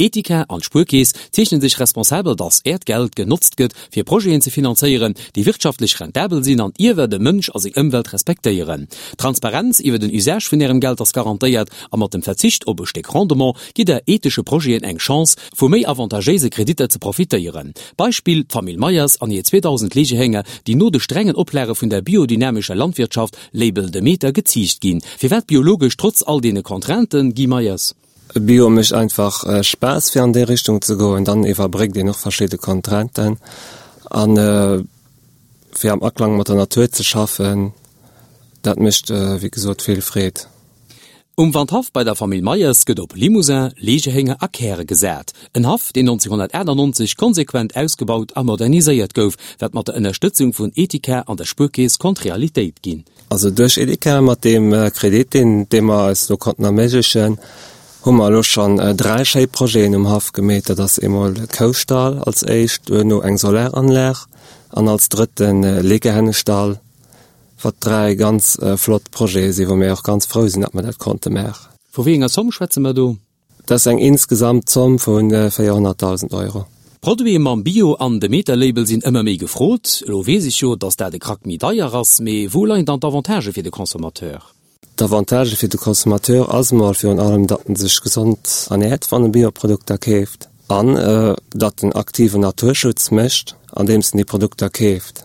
Etika an d'Spuerkeess zeechnen sech responsabel, dass Äert Geld genotzt gëtt, fir Projeten ze finanzéieren, déi wirtschaftlech rentabel sinn an iewer de Mënsch a seng Ëmwelt respektéieren. D'Transparenz iwwer den Usage vun Ärem Geld ass garantéiert a mat dem Verzicht op e Stéck Rendement gitt Der ethesche Projeten eng Chance, vu méi avantagéise Kreditter ze profitéieren. Beispill, D'Famill Meyers an hir 2.000 Legehénger, déi no de strengen Oplage vun der biodynamescher Landwirtschaft, Label Demeter, geziicht ginn. Firwat biologesch trotz all deene Contrainten, Guy Meyers? Bio mécht einfach Spaass fir an déi Richtung ze goen, dann iwwerbréckt een och verschidde Contrainten an fir am Aklang mat der Natur ze schaffen, dat mécht wéi gesot vill Freed. Um Wandhaff bei der Famill Meyers gëtt op Limousin, Legehénger a Käre gesat. En Haff, deen 1998 konsequent ausgebaut a moderniséiert gouf, wat mat der Ënnerstëtzung vun Etika an der Spuerkeess konnt Realitéit ginn. Also duerch Edeka, mat deem Kredit, deen dee mer eis do konnten erméiglechen, hu mer elo schonn 3 schéi Projeten um Haff gemeet. Dat ass eemol de Koustall als éischt, duerno eng Solaranlag an als drëtten Legehennestall, wat 3 ganz flott Projete sinn, wou mir och ganz frou sinn, datt mer dat konnte maachen. Vu wéi enger Zomm schwätze mer do? Dat ass eng insgesamt Zomm vu 400.000 Euro. Produite mam Bio an Demeter-Label sinn ëmmer méi gefrot. Elo weess ech jo, datt dat e Krack méi deier ass, mee wou leien dann d'Avantagë fir de Consommateur? D'Avantagë fir de Consommateur ass emol virun allem, datt en sech gesond ernäert, wann e Bioprodukter keeft, an datt en aktiven Naturschutz mécht, andeems en déi Produkter keeft.